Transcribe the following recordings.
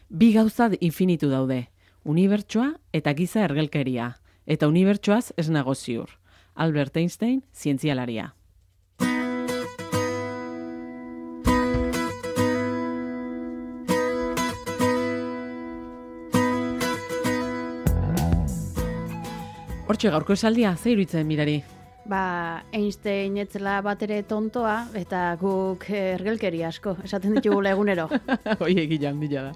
Bi gauza infinitu daude, unibertsoa eta giza ergelkeria, eta unibertsoaz ez nago ziur. Albert Einstein, zientzialaria. Hortxe gaurko esaldia, ze iruditzen mirari? Einstein etzela batere tontoa, eta guk ergelkeria asko, esaten ditugula egunero. Hoi egilan bila da.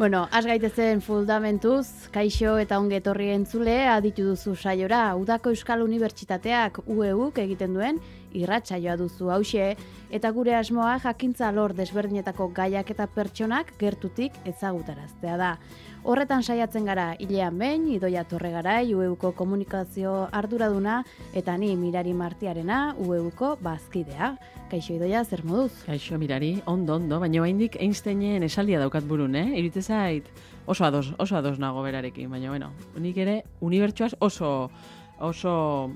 Bueno, has gaitezen fundamentuz, kaixo eta ongi etorri entzule, aditu duzu saiora, Udako Euskal Unibertsitateak UEUk egiten duen irratsaioa duzu hauxe, eta gure asmoa jakintza alor desberdinetako gaiak eta pertsonak gertutik ezagutaraztea da. Horretan saiatzen gara hilean behin, Idoia Torregarai, UEUko komunikazio arduraduna, eta ni Mirari Martiarena, UEUko bazkidea. Kaixo Idoia, zer moduz? Kaixo Mirari, ondo, baina oraindik Einsteinen esaldia daukat burun, Iruditzen zait oso ados nago berarekin, baina bueno, nik ere unibertsoaz oso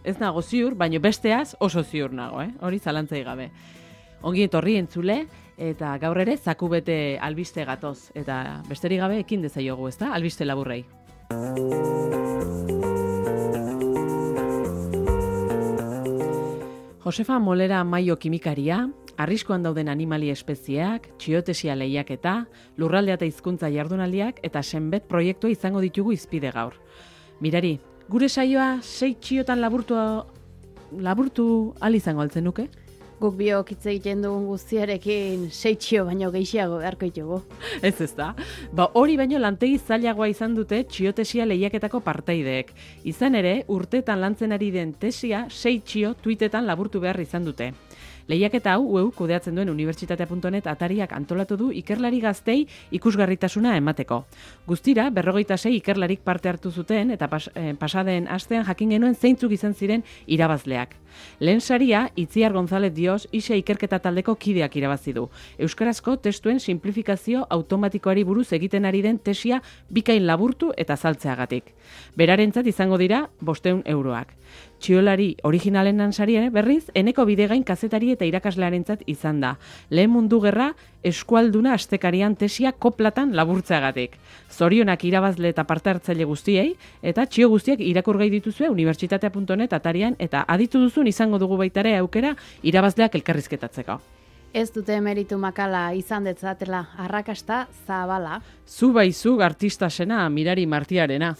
ez nago ziur, baina besteaz oso ziur nago, hori zalantzai gabe. Ongi etorri entzule, eta gaur ere zaku bete albiste gatoz, eta besterik gabe ekin dezaiogu, ezta? Albiste laburrei. Josefa Molera Maio kimikaria, arriskuan dauden animali espezieak, txiotesia lehiaketa, lurraldea eta hizkuntza jardunaldiak eta senbet proiektua izango ditugu izpide gaur. Mirari, gure saioa 6 txiotan laburtu ahal izango altzen nuke? Guk biok hitz egiten dugun guztiarekin 6 txio baino gehiago beharko ditugu. Ez da? Hori baino lantegi zailagoa izan dute txiotesia lehiaketako partaideek. Izan ere, urteetan lantzen ari den tesia 6 txio tweetetan laburtu behar izan dute. Lehiaketa hau UEU kudeatzen duen unibertsitatea.net atariak antolatu du ikerlari gaztei ikusgarritasuna emateko. Guztira, 46 ikerlarik parte hartu zuten eta pasaden astean jakin genuen zeintzuk izan ziren irabazleak. Lehen saria, Itziar González Dios ISE ikerketa taldeko kideak irabazi du. Euskarazko testuen simplifikazio automatikoari buruz egiten ari den tesia bikain laburtu eta saltzeagatik. Berarentzat izango dira 500 euroak. Txiolari originalen saria berriz, eneko bidegain kazetari eta irakaslearentzat izan da. Lehen mundu gerra eskualduna astekarian tesia koplatan laburtzeagatik. Zorionak irabazle eta parte hartzaile guztiei, eta txio guztiak irakurgai dituzue unibertsitatea.net atarian, eta aditu duzun izango dugu baitare aukera irabazleak elkarrizketatzeko. Ez dute meritu makala izan detzatela arrakasta zabala. Zu baizu artista zena Mirari Martiarena.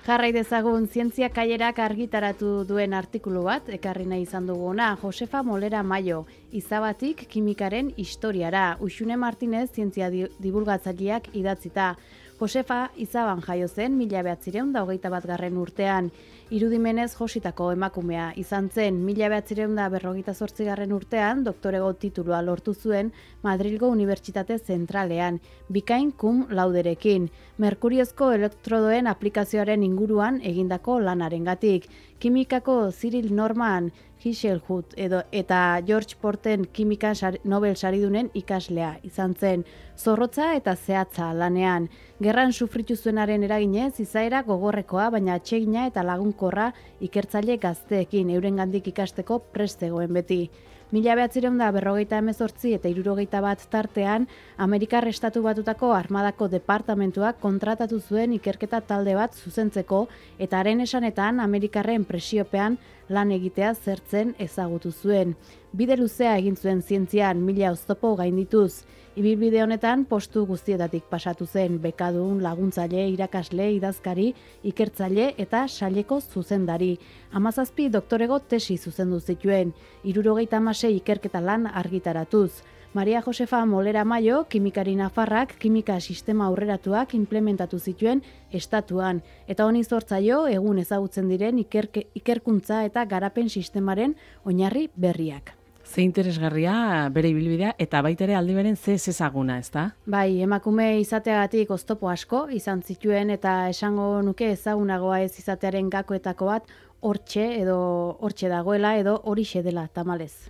Jarrai dezagun zientzia kaierak argitaratu duen artikulu bat, ekarri nahi izan duguna, Josefa Molera Maio, izabatik kimikaren historiara, Uxune Martinez zientzia divulgatzaileak idatzita. Josefa izaban jaio zen 1921 urtean, irudimenez jositako emakumea izan zen 1948 urtean doktorego titulua lortu zuen Madrilgo Unibertsitate Zentralean, bikain cum lauderekin, merkuriozko elektrodoen aplikazioaren inguruan egindako lanarengatik, kimikako Cyril Norman Hiselhut eta George Porten kimika Nobel saridunen ikaslea izan zen, zorrotza eta zehatza lanean. Gerran sufritu zuenaren eraginez, izaera gogorrekoa, baina atsegina eta lagunkorra ikertzaile gazteekin eurengandik ikasteko prest zegoen beti. 1958 eta 61 tartean, Amerikar Estatu Batutako Armadako Departamentuak kontratatu zuen ikerketa talde bat zuzentzeko, eta haren esanetan Amerikarren presiopean lan egitea zertzen ezagutu zuen. Bide luzea egin zuen zientzian 1000 oztopo gaindituz. Ibilbide honetan postu guztietatik pasatu zen, bekadun, laguntzaile, irakasle, idazkari, ikertzaile eta saileko zuzendari. 17 doktorego tesi zuzendu zituen, 76 ikerketa lan argitaratuz. Maria Josefa Molera Maio, kimikari nafarrak, kimika sistema aurreratuak implementatu zituen estatuan, eta honi zortzaio egun ezagutzen diren ikerkuntza eta garapen sistemaren oinarri berriak. Ze interesgarria bere ibilbidea eta baitere aldi beren ze ezaguna, ezta? Bai, emakume izateagatik oztopo asko izan zituen eta esango nuke ezagunagoa ez izatearen gakoetako bat hortxe dagoela edo horixe dela tamalez.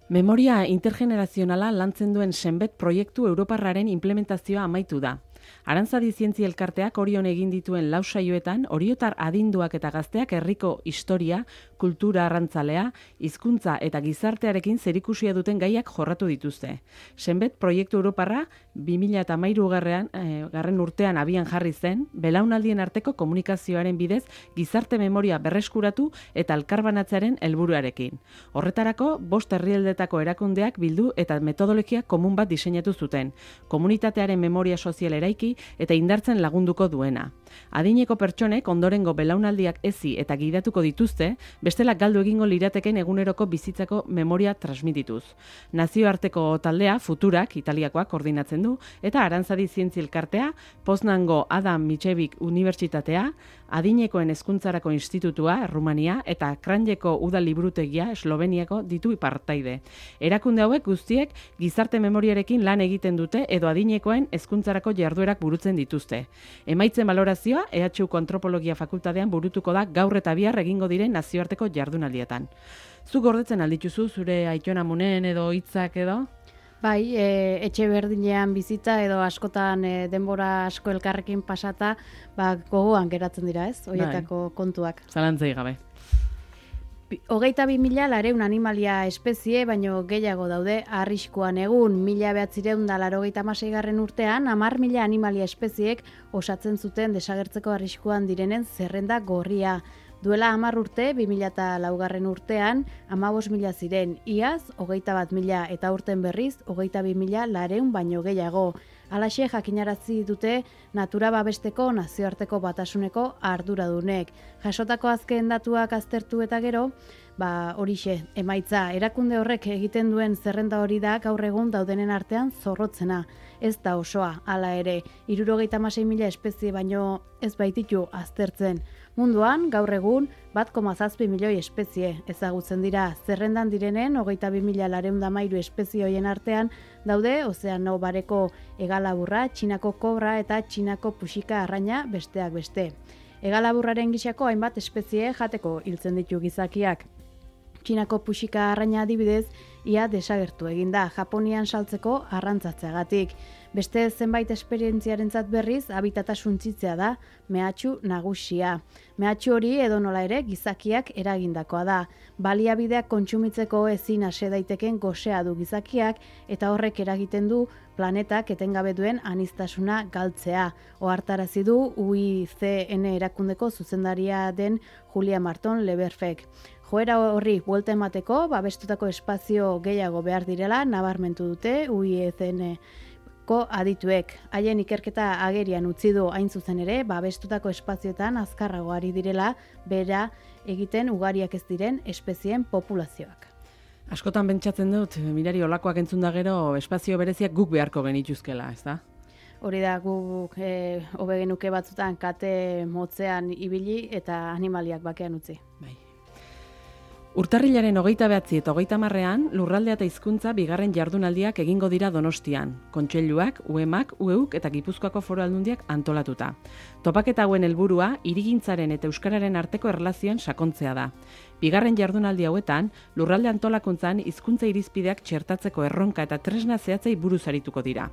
Memoria intergenerazionala lantzen duen senbet proiektu europarraren implementazioa amaitu da. Arantzadi Zientzia Elkarteak Orion egin dituen 4 saioetan, oriotar adinduak eta gazteak herriko historia, kultura arrantzalea, hizkuntza eta gizartearekin zerikusia duten gaiak jorratu dituzte. Senbet proiektu europarra 2013 garren urtean abian jarri zen, belaunaldien arteko komunikazioaren bidez gizarte memoria berreskuratu eta elkarbanatzearen helburuarekin. Horretarako, 5 herrialdetako erakundeak bildu eta metodologia komun bat diseinatu zuten, komunitatearen memoria sozial eraiki eta indartzen lagunduko duena. Adineko pertsonek ondorengo belaunaldiak hezi eta gidatuko dituzte, bestela galdu egingo lirateken eguneroko bizitzako memoria transmitituz. Nazioarteko taldea, Futurak, Italiakoak koordinatzen du, eta Arantzadi Zientzi Elkartea, Poznango Adam Mickiewicz Unibertsitatea, Adinekoen Hezkuntzarako Institutua, Errumania, eta Kranjeko Udal Liburutegia, Esloveniako ditu partaide. Erakunde hauek guztiek gizarte memoriarekin lan egiten dute edo adinekoen hezkuntzarako jarduerak burutzen dituzte. Emaitzen balorazioa EHUko Antropologia Fakultatean burutuko da gaur eta bihar egingo diren nazioarteko jardunaldietan. Zuk gordetzen aldituzu zure Aiton Amunen edo hitzak edo? Bai, etxe berdinean bizita edo askotan denbora asko elkarrekin pasata, gogoan geratzen dira, ez? Horietako kontuak. Zalantzei gabe. 22.000 animalia espezie, baino gehiago daude arriskuan egun. 1986 urtean, 10.000 animalia espeziek osatzen zuten desagertzeko arriskuan direnen zerrenda gorria. Duela 10 urte, 2004 urtean, 15.000 ziren, iaz, 21.000 eta urten berriz, 22.000 baino gehiago. Halaxe jakinarazi dute natura babesteko nazioarteko batasuneko arduradunek. Jasotako azken datuak aztertu eta gero, horixe, emaitza, erakunde horrek egiten duen zerrenda hori da gaur egun daudenen artean zorrotzena. Ez da osoa, hala ere, 76.000 espezie baino ez baititu aztertzen. Munduan, gaur egun, 1,7 milioi espezie ezagutzen dira. Zerrendan direnen, 22.413 espezie hoien artean daude Ozeano Bareko hegalaburra, Txinako kobra eta Txinako puxika arraina besteak beste. Hegalaburraren gisako hainbat espezie jateko hiltzen ditu gizakiak. Txinako puxika arraina adibidez, ia desagertu eginda, Japonian saltzeko arrantzatzeagatik. Beste zenbait esperientziarentzat berriz, habitata suntsitzea da mehatxu nagusia. Mehatxu hori edonola ere gizakiak eragindakoa da. Baliabideak kontsumitzeko ezin ase daiteken gosea du gizakiak eta horrek eragiten du planetak etengabe duen aniztasuna galtzea. Ohartarazi du UICN erakundeko zuzendaria den Julia Marton Leberfek. Joera horri buelta emateko, babestutako espazio gehiago behar direla nabarmentu dute UICN-ko adituek. Haien ikerketa agerian utzi du hain zuzen ere, babestutako espazioetan azkarrago ari direla bera egiten ugariak ez diren espezien populazioak. Askotan pentsatzen dut, mirari olakoak entzun da gero, espazio bereziak guk beharko genituzkela, ez da? Hori da, guk hobe genuke batzutan kate motzean ibili eta animaliak bakean utzi. Bai. Urtarrilaren 29 eta 30ean lurraldea eta hizkuntza bigarren jardunaldiak egingo dira Donostian. Kontseiluak, UEMak, UEUk eta Gipuzkoako Foru Aldundiak antolatuta. Topaketa hauen helburua hirigintzaren eta euskararen arteko erlazioen sakontzea da. Bigarren jardunaldi hauetan, lurralde antolakuntzan hizkuntza irizpideak txertatzeko erronka eta tresna zehatzei buruz arituko dira.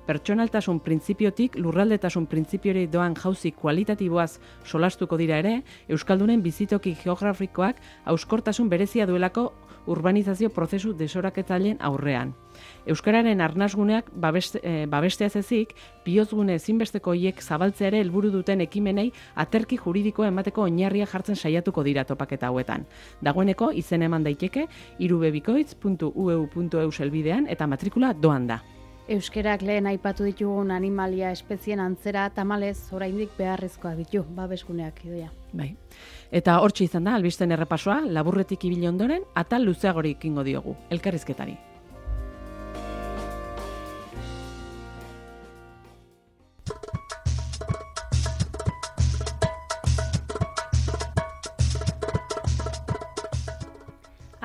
Pertsonaltasun printzipiotik lurraldetasun printzipiori doan jauzi kualitatiboaz solastuko dira ere, euskaldunen bizitoki geografikoak hauskortasun berezia duelako urbanizazio prozesu desoraketzaileen aurrean. Euskararen arnasguneak babesteaz ezik, bihozgune ezinbesteko hiek zabaltzea ere helburu duten ekimenei aterki juridikoa emateko oinarria jartzen saiatuko dira topaketa hauetan. Dagoeneko izen eman daiteke irubebikoitz.ueu.eu helbidean eta matrikula doan da. Euskerak lehen aipatu ditugun animalia espezien antzera tamalez oraindik beharrezkoa ditu, babesguneak idoia. Bai. Eta hortxe izan da, albisten errepasoa, laburretik ibili ondoren, atal luzeagorik ekingo diogu, elkarrizketari.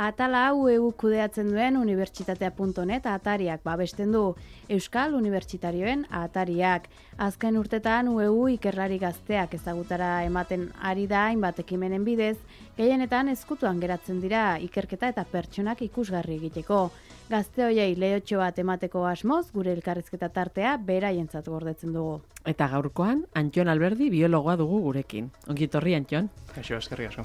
Atala UEU kudeatzen duen unibertsitatea.net atariak babesten du. Euskal Unibertsitarioen atariak. Azken urtetan UEU ikerlari gazteak ezagutara ematen ari da hainbat ekimenen bidez, gehienetan ezkutuan geratzen dira ikerketa eta pertsonak ikusgarri egiteko. Gazte hoiei lehotxo bat emateko asmoz, gure elkarrizketa tartea beraientzat gordetzen dugu. Eta gaurkoan, Antxon Alberdi biologoa dugu gurekin. Ongi etorri, Antxon. Kaixo, eskerrik asko.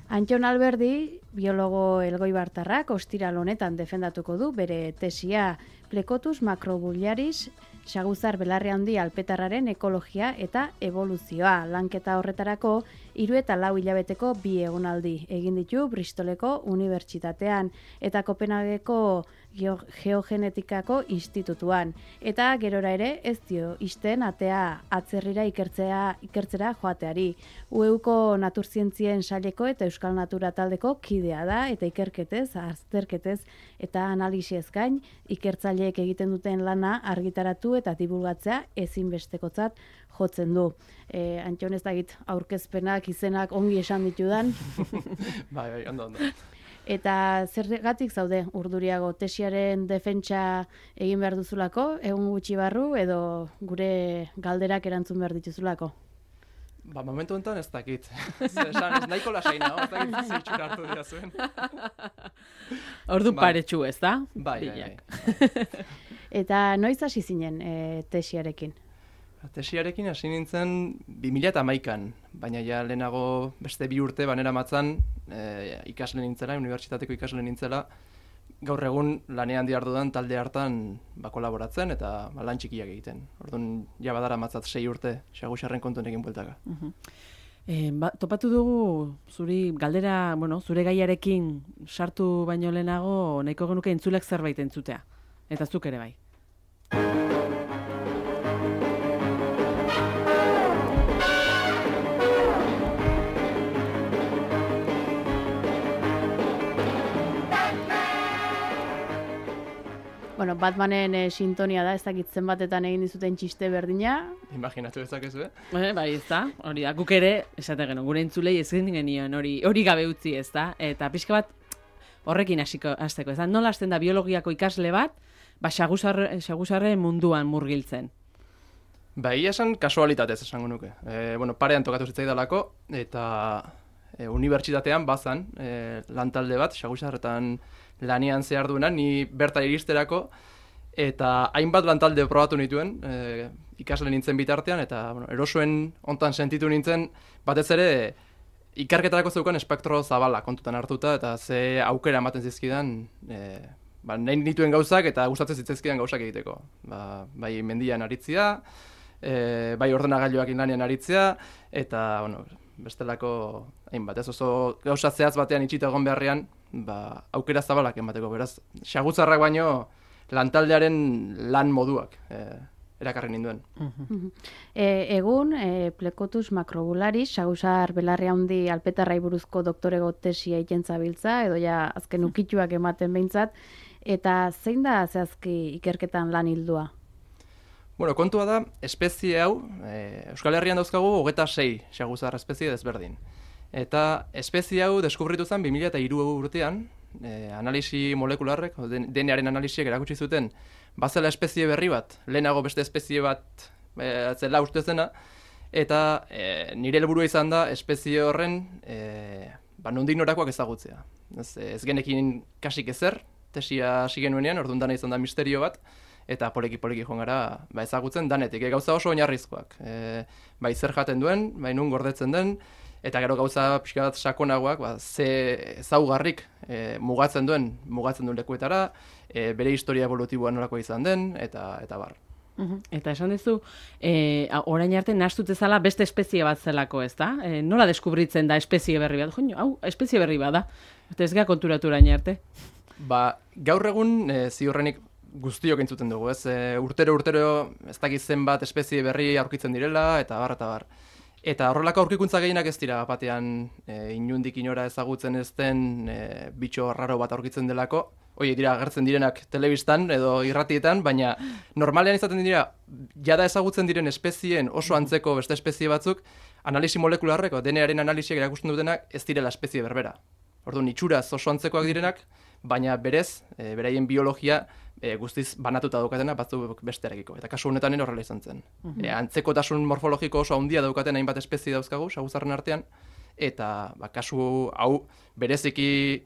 Antxon Alberdi, biologo elgoibartarrak, ostiral honetan defendatuko du bere tesia Plecotus macrobularis, saguzar belarri handi alpetarraren ekologia eta evoluzioa. Lanketa horretarako 3 eta 4 hilabeteko 2 egonaldi egin ditu Bristoleko Unibertsitatean eta Kopenhageko Geogenetikako Institutuan. Eta gerora ere ez dio isten atea atzerrira ikertzera joateari. UEUko naturzientzien saileko eta Euskal Natura taldeko kidea da eta ikerketez, azterketez eta analisiez gain ikertzaileek egiten duten lana argitaratu eta divulgatzea ezinbestekotzat jotzen du. Antxon ez dakit aurkezpenak, izenak ongi esan ditudan. Bai, ondo. Eta zergatik zaude urduriago tesiaren defentsa egin behar duzulako, egun gutxi barru edo gure galderak erantzun behar dituzulako? Momentu honetan ez dakit. Esan, ez nahiko lasaina, ez dakit zitxura hartu dira zuen. Ordu paretsu ez da? Bai. Eta noiz hasi zinen tesiarekin? Tesiarekin hasi nintzen 2011an, baina ja lehenago beste 2 urte banera matzan ikasle nintzela, unibertsitateko ikasle nintzela, gaur egun lanean diardudan talde hartan kolaboratzen eta lan txikiak egiten. Orduan ja badara matzat 6 urte, Saguzarren kontuen egin bueltaka. Topatu dugu zuri galdera, zure gaiarekin sartu baino lehenago nahiko genuke entzulek zerbait entzutea. Eta zuk ere bai. Batmanen sintonia da, ez dakit zenbatetan egin dizuten txiste berdina. Imaginatu ezakezu, Bai, ez da, hori da, guk ere, esate geno, gure entzulei ez genion hori gabe utzi, ez da, eta pixka bat horrekin hasteko, ez da, nola hasten da biologiako ikasle bat, saguzarre munduan murgiltzen. Ia esan kasualitatez esango nuke. Parean tokatu zitzaidalako, eta unibertsitatean bazan lantalde bat, Saguzarretan lanian zehar duena, ni berta iristerako, eta hainbat lantalde probatu nituen, ikasle nintzen bitartean, eta erosoen hontan sentitu nintzen, batez ere, ikerketarako zeukan espektro zabala kontutan hartuta, eta ze aukera ematen zizkidan, nahi nituen gauzak, eta gustatzen zitzaizkidan gauzak egiteko. Bai mendian aritzia, bai ordenagailuak lanean aritzea, eta, bestelako hainbat, ez oso gauza zehaz batean itxita egon beharrean, aukera zabalak emateko, beraz, Saguzarrak baino lantaldearen lan moduak erakarri ninduen. Egun, Plecotus macrobularis, Saguzar belarri handi alpetarrai buruzko doktorego tesia egiten zabiltza, edo ja azken ukituak ematen behintzat, eta zein da zehazki ikerketan lan hildua? Kontua da, espezie hau, Euskal Herrian dauzkagu 26 Saguzar espezie desberdin. Eta espezie hau deskubritu zen 2003 urtean, analisi molekularrek, DNA-aren analisiek erakutsi zuten, bazela espezie berri bat, lehenago beste espezie bat zela uste zena, eta nire helburua izan da espezie horren nondik norakoak ezagutzea. Ez genekin kasik ezer, tesia hasi genuenean, orduan dana izan da misterio bat, eta poliki joan gara ezagutzen danetik, gauza oso oinarrizkoak. Zer jaten duen, nun gordetzen den, eta gero gauza pixka bat sakonagoak, ze ezaugarrik mugatzen duen lekuetara, bere historia evolutiboa nolakoa izan den, eta bar. Eta esan duzu, orain arte nahastut ezala beste espezie bat zelako, ez da? Nola deskubritzen da espezie berri bat? Hau, espezie berri bat da. Eta ez gara konturatu orain arte. Gaur egun ziurrenik guztiok entzuten dugu, ez? Urtero ez dakiz zenbat espezie berri aurkitzen direla, eta bar. Eta horrelako aurkikuntza gehienak ez dira batean inundik inora ezagutzen ez den bitxo raro bat aurkitzen delako. Hoi dira agertzen direnak telebistan edo irratietan, baina normalean izaten dira jada ezagutzen diren espezieen oso antzeko beste espezie batzuk, analisi molekularreko DNA-aren analisiak erakusten dutenak ez direla espezie berbera. Orduan itxuraz oso antzekoak direnak, baina berez, beraien biologia guztiz banatuta daukatena batzuk bestearekiko. Eta kasu honetan horrela izan zen. Antzekotasun morfologiko oso handia daukaten hainbat espezie dauzkagu, Saguzarren artean, eta kasu hau bereziki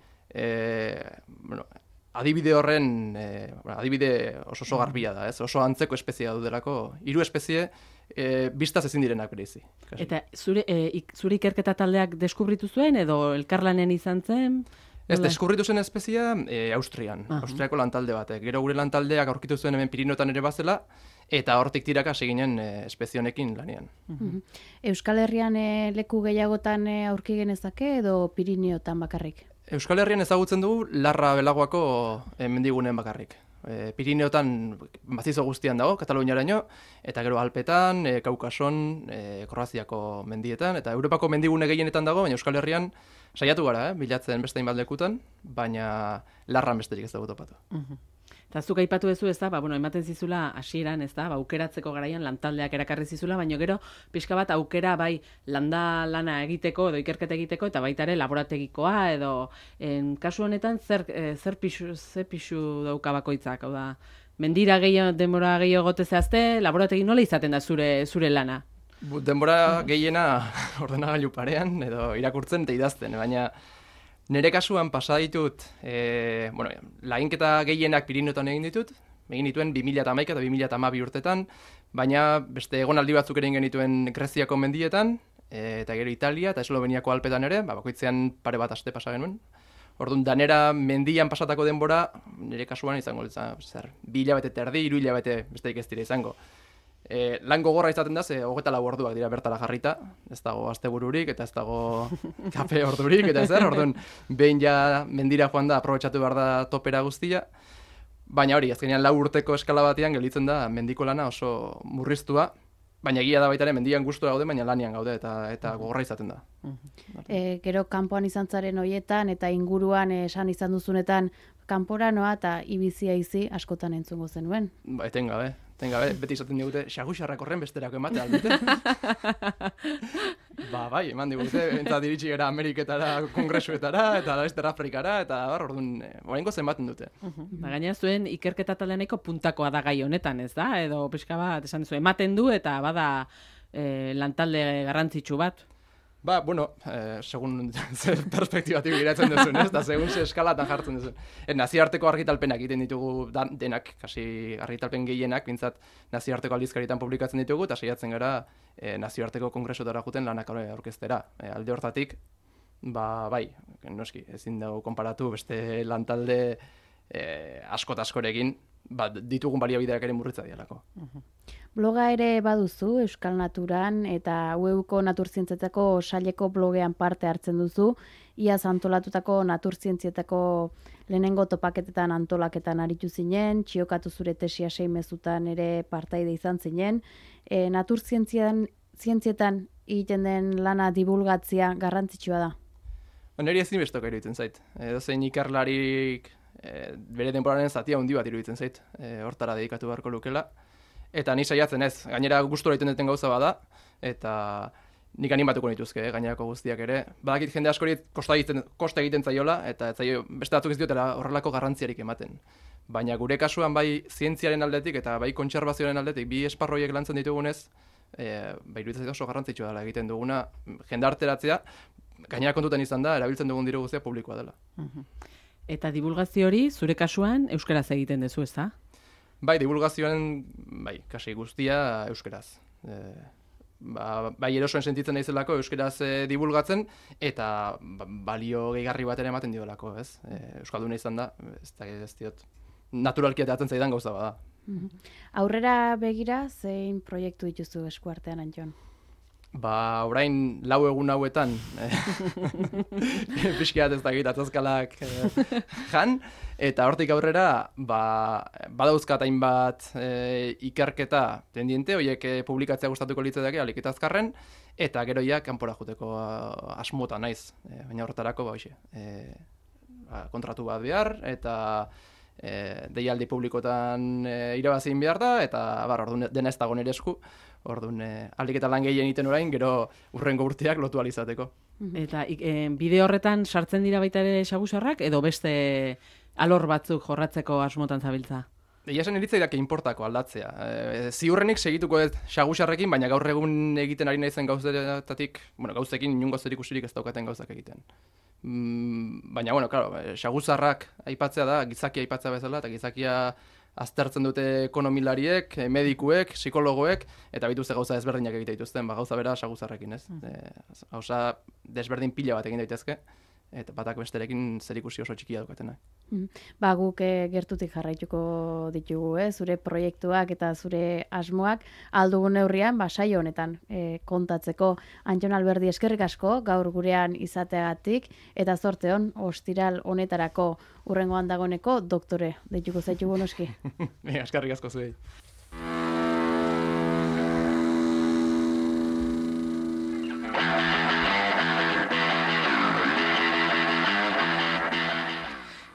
adibide horren, adibide oso garbia da, ez? Oso antzeko espeziea dudelako, 3 espezie biztaz ezin direnak bereizi. Eta zure ikerketa taldeak deskubritu zuen edo elkarlanen izan zen? Ez, deskubritu zen espeziea Austrian, Austriako lantalde batek. Gero gure lantaldeak aurkitu zuen hemen Pirinioetan ere bazela, eta hortik tiraka seginen espezie honekin lanean. Euskal Herrian leku gehiagotan aurki genezake edo Pirinioetan bakarrik? Euskal Herrian ezagutzen dugu Larra Belagoako mendiguneen bakarrik. Pirinioetan mazizo guztian dago, Kataluniaraino, eta gero Alpetan, Kaukason, Kroaziako mendietan, eta Europako mendigune gehienetan dago, baina Euskal Herrian saiatu gara, bilatzen beste hainbat lekutan, baina Larran besterik ez dugu topatu. Eta zuk aipatu duzu, ez da, ematen zizula hasieran, ez da, aukeratzeko garaian lantaldeak erakarri zizula, baina gero pixka bat aukera bai lana egiteko edo ikerketa egiteko eta baita ere laborategikoa edo kasu honetan zer pixu dauka bakoitzak, hau da, mendira denbora gehiago gote zehazte, laborategi nola izaten da zure lana? Denbora gehiena ordenagailu parean edo irakurtzen eta idazten, baina nire kasuan pasa ditut, laginketa gehienak Pirinioetan egin dituen 2011 eta 2012 urtetan, baina beste egonaldi batzuk ere egin genituen Greziako mendietan, eta gero Italia eta Esloveniako Alpetan ere, bakoitzean pare bat aste pasa genuen. Orduan, danera mendian pasatako denbora, nire kasuan izango, 2 hilabete eta erdi, 3 hilabete besterik ez dira izango. Lan gogorra izaten da, 24 orduak dira bertara jarrita, ez dago astebururik eta ez dago kafe ordurik, eta ezer, orduan behin ja mendira joan da, aprobetxatu behar da topera guztia, baina hori, azkenean 4 urteko eskala batean gelditzen da mendiko lana oso murriztua, baina egia da baita ere mendian gustura gaude, baina lanian gaude eta gogorra izaten da. Gero kanpoan izan zaren hoietan eta inguruan esan izan duzunetan kanpora noa eta ibizia izi askotan entzungo zenuen. Etengabe, beti izaten digute, xaguxarrak horren besterako emate aldute. Bai, eman digute, entzat iritsi gara Ameriketara, kongresuetara, eta Wester Afrikara, eta orduan, oraingo zenbaten dute. Gainera zuen ikerketa taldeaneko puntakoa da gai honetan, ez da? Edo pixka bat, esan duzu, ematen du eta bada lantalde garrantzitsu bat. Segun zer perspektibatik giratzen duzun, ez? Da, segun ze eskalatan jartzen duzun. Nazioarteko argitalpenak egiten ditugu denak, kasi argitalpen gehienak, bintzat nazioarteko aldizkarietan publikatzen ditugu, eta saiatzen gara nazioarteko kongresotara juten lanak aurkeztera. Alde hortatik, bai, noski, ezin dago konparatu beste lantalde askorekin, ditugun baliabideak ere murritza dialako. Bloga ere baduzu Euskal Naturan eta UEUko naturzientzietako saileko blogean parte hartzen duzu, iaz antolatutako naturzientzietako lehenengo topaketetan antolaketan aritu zinen, txiokatu zure tesia 6 mezutan ere partaide izan zinen, naturzientzietan egiten den lana divulgatzia garrantzitsua da. Neri ezin bestoka iruditzen zait. Edozein ikerlarik bere denboraren zatia handi bat iruditzen zait, hortara dedikatu beharko lukela. Eta ni saiatzen ez, gainera gustura egiten duten gauza bada, eta nik animatuko nituzke, gainerako guztiak ere. Badakit jende askori kosta egiten zaiola, eta beste batzuk ez diotela horrelako garrantziarik ematen. Baina gure kasuan bai zientziaren aldetik eta bai kontserbazioaren aldetik, bi esparroiek lantzen ditugunez, iruditzen zait oso garrantzitsua dela egiten duguna jendarteratzea, gainera kontutan izan da, erabiltzen dugun diru guztia publikoa dela. Eta divulgazio hori, zure kasuan, euskaraz egiten duzu, ez da? Bai, divulgazioan, kasi guztia euskaraz. Erosoen sentitzen naizelako euskaraz divulgatzen, eta balio gehigarri bat ere ematen diolako, ez? Euskalduna izan da, ez diot, naturalki atatzen zaidan gauza bada. Aurrera begira, zein proiektu dituzu eskuartean, Antxon? Orain 4 egun hauetan, pixkiat ez dakit atzazkalak jan, eta hortik aurrera, badauzkat hainbat ikerketa tendiente, horiek publikatzea gustatuko litzaidake, alik eta azkarren, eta gero ja kanpora joteko asmota naiz, baina horretarako kontratu bat behar, eta deialdi publikotan irabazin behar da, eta dena ez dago nire esku, orduan alik eta lan gehien egiten orain, gero urrengo urteak lotu alizateko. Eta bide horretan sartzen dira baita ere xagusarrak, edo beste alor batzuk jorratzeko asmotan zabiltza? Egia esan iritzaidak inportako aldatzea. Ziurrenik segituko ez xagusarrekin, baina gaur egun egiten ari naizen gauzekin inungo zerikusirik ez daukaten gauzak egiten. Baina, bueno, claro, saguzarrak aipatzea da, gizakia aipatzea bezala, eta gizakia aztertzen dute ekonomilariek, medikuek, psikologoek, eta bituzte gauza desberdinak egite dituzten, gauza bera saguzarrekin, ez? Gauza desberdin pila bat egin daitezke, eta batak besterekin zerikusi oso txikia daukatenak. Guk gertutik jarraituko ditugu, zure proiektuak eta zure asmoak aldugun neurrian, saio honetan kontatzeko. Antxon Alberdi, eskerrik asko, gaur gurean izateagatik, eta zorte hon, ostiral honetarako urrengoan dagoneko doktore, deituko zaitugu noski. Eskerrik asko zuei.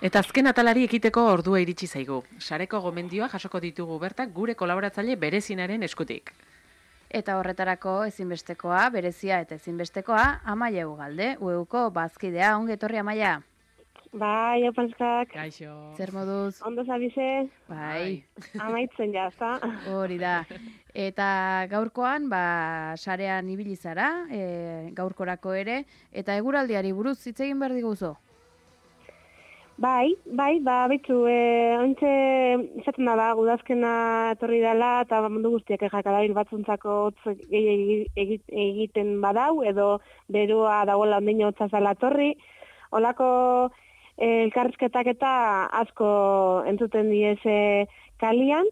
Eta azken atalari ekiteko ordua iritsi zaigu. Sareko gomendioa jasoko ditugu bertak gure kolaboratzaile berezinaren eskutik. Eta horretarako ezinbestekoa, berezia eta ezinbestekoa, Amaia Ugalde, UEUko bazkidea, ongi etorri Amaia. Bai, opanskak. Kaixo. Zer moduz? Ondo zabize? Bai. Amaitzen jazta. Hori da. Eta gaurkoan, sarean ibili zara, gaurkorako ere, eta eguraldiari buruz hitz egin behar diguzu. Bai, betzu, ontxe izaten da, udazkena etorri dela, eta mundu guztiak jakadabil batzuntzako hotz egiten badau, edo berua dagoela ondino hotza zala etorri. Olako elkarrizketak eta asko entzuten diez kalian.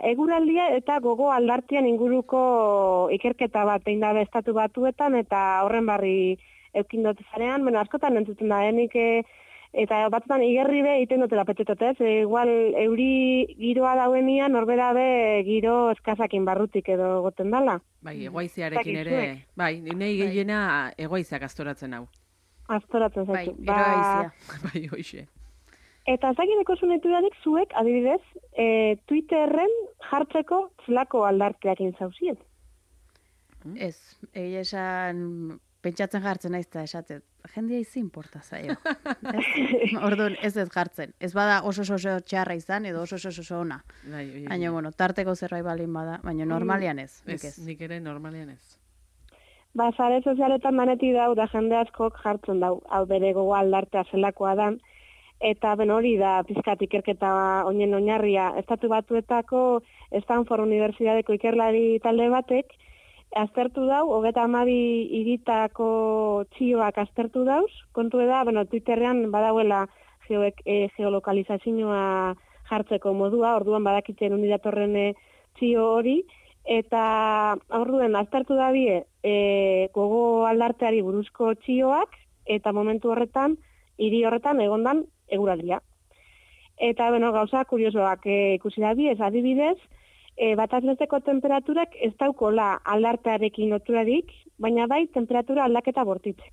Eguraldia eta gogo aldartian inguruko ikerketa bat egin dabe estatu batuetan, eta horren barri eukin dut zarean, askotan entzuten da, eta batzutan igerri be egiten dutela petetotez, igual euri giroa dauenian norbera be giro eskazakin barrutik edo goten dala. Bai, egoaizearekin ere, nahi gehiena egoaizeak astoratzen hau. Astoratzen zaitu. Bai, egoaizea. Bai, hoxe. Eta zakideko zuneturadik zuek, adibidez, Twitterren jartzeko zelako aldarteakin zauzien. Ez, egia esan pentsatzen jartzen naiz eta esatet. Jendia izi importa zaio. Orduan ez jartzen. Ez bada oso txarra izan edo oso ona. Baina, tarteko zerbait balin bada, baina normalian ez. Nik ere normalian ez. Sare sozialetan maneti dau da jende askok jartzen dau, hau bere gogo aldartea zelakoa dan, eta hori da pizkat ikerketa oinen oinarria. Estatu Batuetako Stanford Unibertsitateko ikerlari talde batek, aztertu dau, 32 hiritako txioak aztertu dauz, kontu da, Twitterrean badauela geolokalizazioa jartzeko modua, orduan badakitzen unidatorren txio hori, eta orduan aztertu da bie gogo aldarteari buruzko txioak, eta momentu horretan, hiri horretan egondan eguraldia. Eta, gauza kuriosoak ikusi da bie, ez adibidez, batazbesteko temperaturak ez daukola aldartearekin loturarik, baina bai temperatura aldaketa bortitze.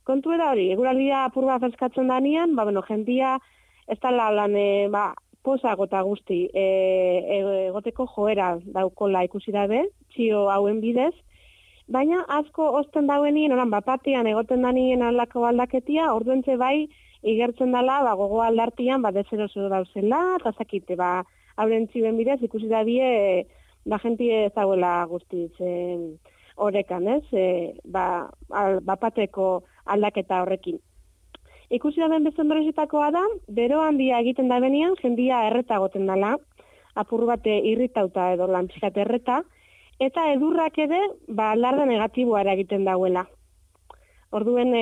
Kontu da hori, eguraldia apurba freskatzen danean, jendia ez da lan posago eta guzti egoteko joera daukola ikusi dabe, txio hauen bidez, baina asko osten dauenien, bapatean egoten danien aldako aldaketia, orduentze bai igertzen dela gogo aldartian dezero dauzela, eta zakite, hauren txioen bidez, ikusi da bie, jentie ez dagoela guztiz horrekan, ez? Bapateko aldaketa horrekin. Ikusi da ben bezen berezitakoa da, bero handia egiten da benian, jendia erreta goten dela, apur bate irritauta edo lantzikat erreta, eta edurrak ere, alarde negatiboa egiten dauela. Orduen,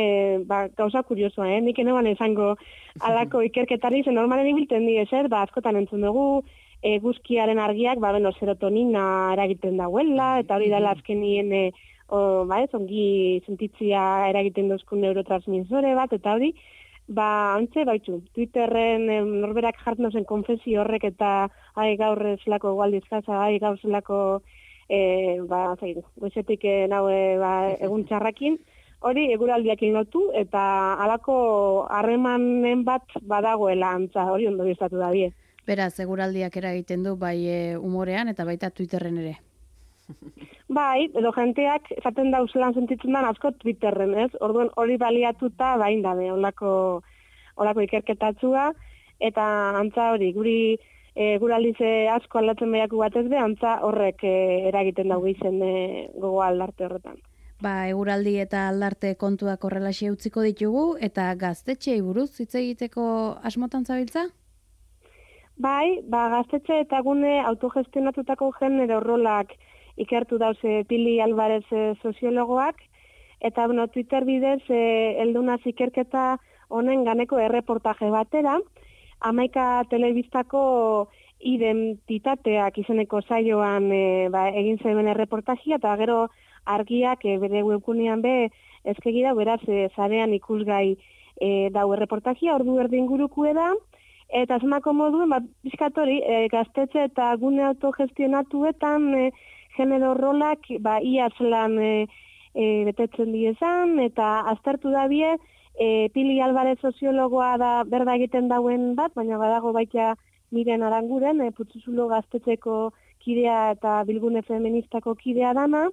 gauza kuriosoa, nik eneban esango alako ikerketari, zen normalen ibilten di ezer, askotan entzun dugu, eguzkiaren argiak, serotonina eragiten dauela, eta hori dela azkenien, ongi sentitzia eragiten duzkun neurotransmisore bat, eta hori, Twitterren norberak jartzen zen konfesio horrek, eta gaur zelako gualdizkaza, gaur zelako, goizetik egun txarrakin, hori eguraldiakin lotu, eta halako harremanen bat badagoela antza, hori ondo biztatu da bie. Beraz, eguraldiak eragiten du bai umorean eta baita Twitterren ere. Bai, edo jenteak esaten dauzelan sentitzen den asko Twitterren, ez? Orduan hori baliatuta bain dabe, olako ikerketatzua, eta antza hori, guri eguraldize asko aldatzen behiaku batez be, antza horrek eragiten dago izen gogo aldarte horretan. Eguraldi eta aldarte kontuak horrelaxe utziko ditugu, eta gaztetxeei buruz hitz egiteko asmotan zabiltza? Bai, gaztetxe eta gune autogestionatutako genero rolak ikertu dauze Pili Alvarez soziologoak, eta Twitter bidez heldunaz ikerketa honen ganeko erreportaje batera, 11 telebistako identitateak izeneko saioan egin zeben erreportajia, eta gero argiak bere webgunean ezkegi da, beraz, zarean ikusgai dau erreportajia, ordu erdin gurukue da, eta asmako moduen, bizkatori, gaztetxe eta gune autogestionatuetan genero rolak, iaz lan betetzen diezan, eta aztertu da bie, Pili Alvarez soziologoa da berda egiten dauen bat, baina badago baita Miren Aranguren, Putzuzulo gaztetxeko kidea eta bilgune feministako kidea dana,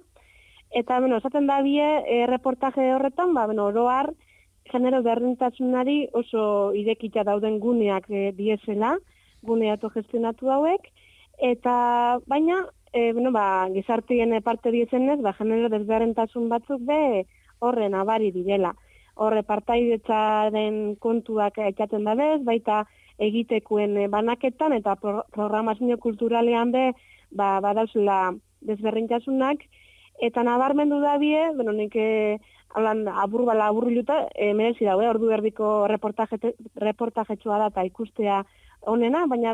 eta, esaten da bie, reportaje horretan, oroar, genero berdintasunari oso irekita dauden guneak diezela, gune autogestionatu hauek, eta, baina, gizartien parte diezenez, genero desberdintasun batzuk horren abari direla. Horre partaidetzaren kontuak aitzaten da baita egitekuen banaketan eta programazio kulturalean badauzela desberdintasunak, eta nabarmendu da bie, nik aburriluta, merezi daue, ordu erdiko reportajetxoa da eta ikustea honena, baina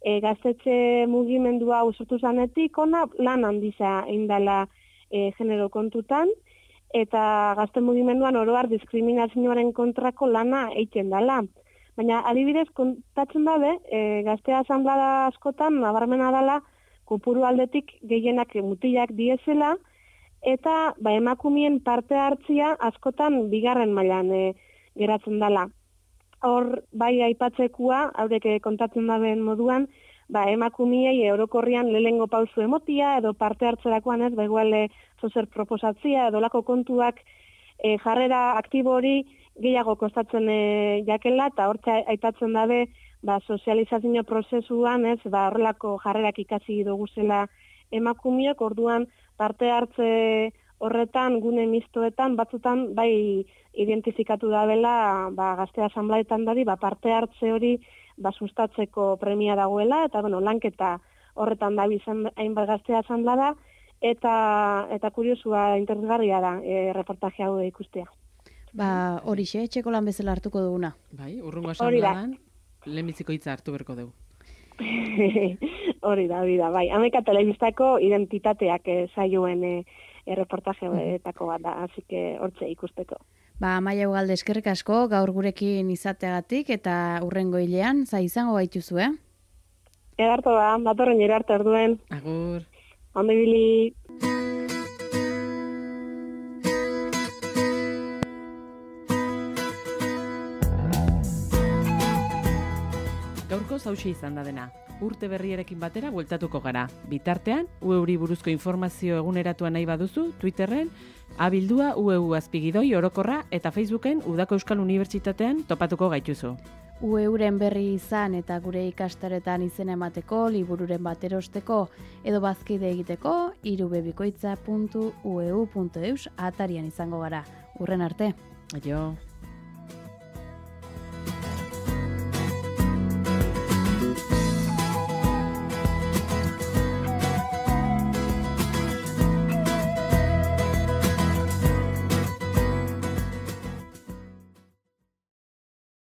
gaztetxe mugimendua usurtu zanetik, lan handiza indala genero kontutan, eta gazte mugimenduan oroar diskriminazioaren kontrako lana egiten dela. Baina adibidez kontatzen dabe, gazte asanblada askotan nabarmena dela kopuru aldetik gehienak mutilak diezela, eta emakumeen parte hartzia askotan bigarren mailan geratzen dela. Hor, aipatzekoa, haurek kontatzen daben moduan, emakumiei orokorrian lehengo pausu emotia, edo parte hartzerakoan ez, igual zozer proposatzia, edo lako kontuak jarrera aktibo hori gehiago kostatzen jakela, eta hortza aipatzen dabe, sozializazio prozesuan ez, horrelako jarrerak ikasi duguzela emakumiok, orduan parte hartze horretan, gune mistoetan, batzutan identifikatu dabela gazte asanblaetan dadi, parte hartze hori sustatzeko premia dagoela, eta lanketa horretan da bizan hainbat gazte asanblada, eta kuriosua interesgarria da reportaje hau ikustea. Horixe, etxeko lan bezala hartuko duguna. Urrungo asanbladan, lehenbiziko hitza hartu berko dugu. Hori da, 11 telebistako identitateak saioen reportajeetako bat da, así que hortze ikusteko. Amaia Ugalde, eskerrik asko, gaur gurekin izateagatik, eta hurrengo hilean, izango gaituzu, Edarto datorren arte orduen. Agur. Ondo ibili. Gaurko hauxe izan da dena. Urte berriarekin batera bueltatuko gara. Bitartean, UEuri buruzko informazio eguneratua nahi baduzu, Twitterren, abildua UEU azpigidoi orokorra eta Facebooken Udako Euskal Unibertsitatean topatuko gaituzu. UEuren berri izan eta gure ikastaretan izena emateko, libururen bat erosteko edo bazkide egiteko, irubebikoitza.ueu.eus atarian izango gara. Urren arte. Aio.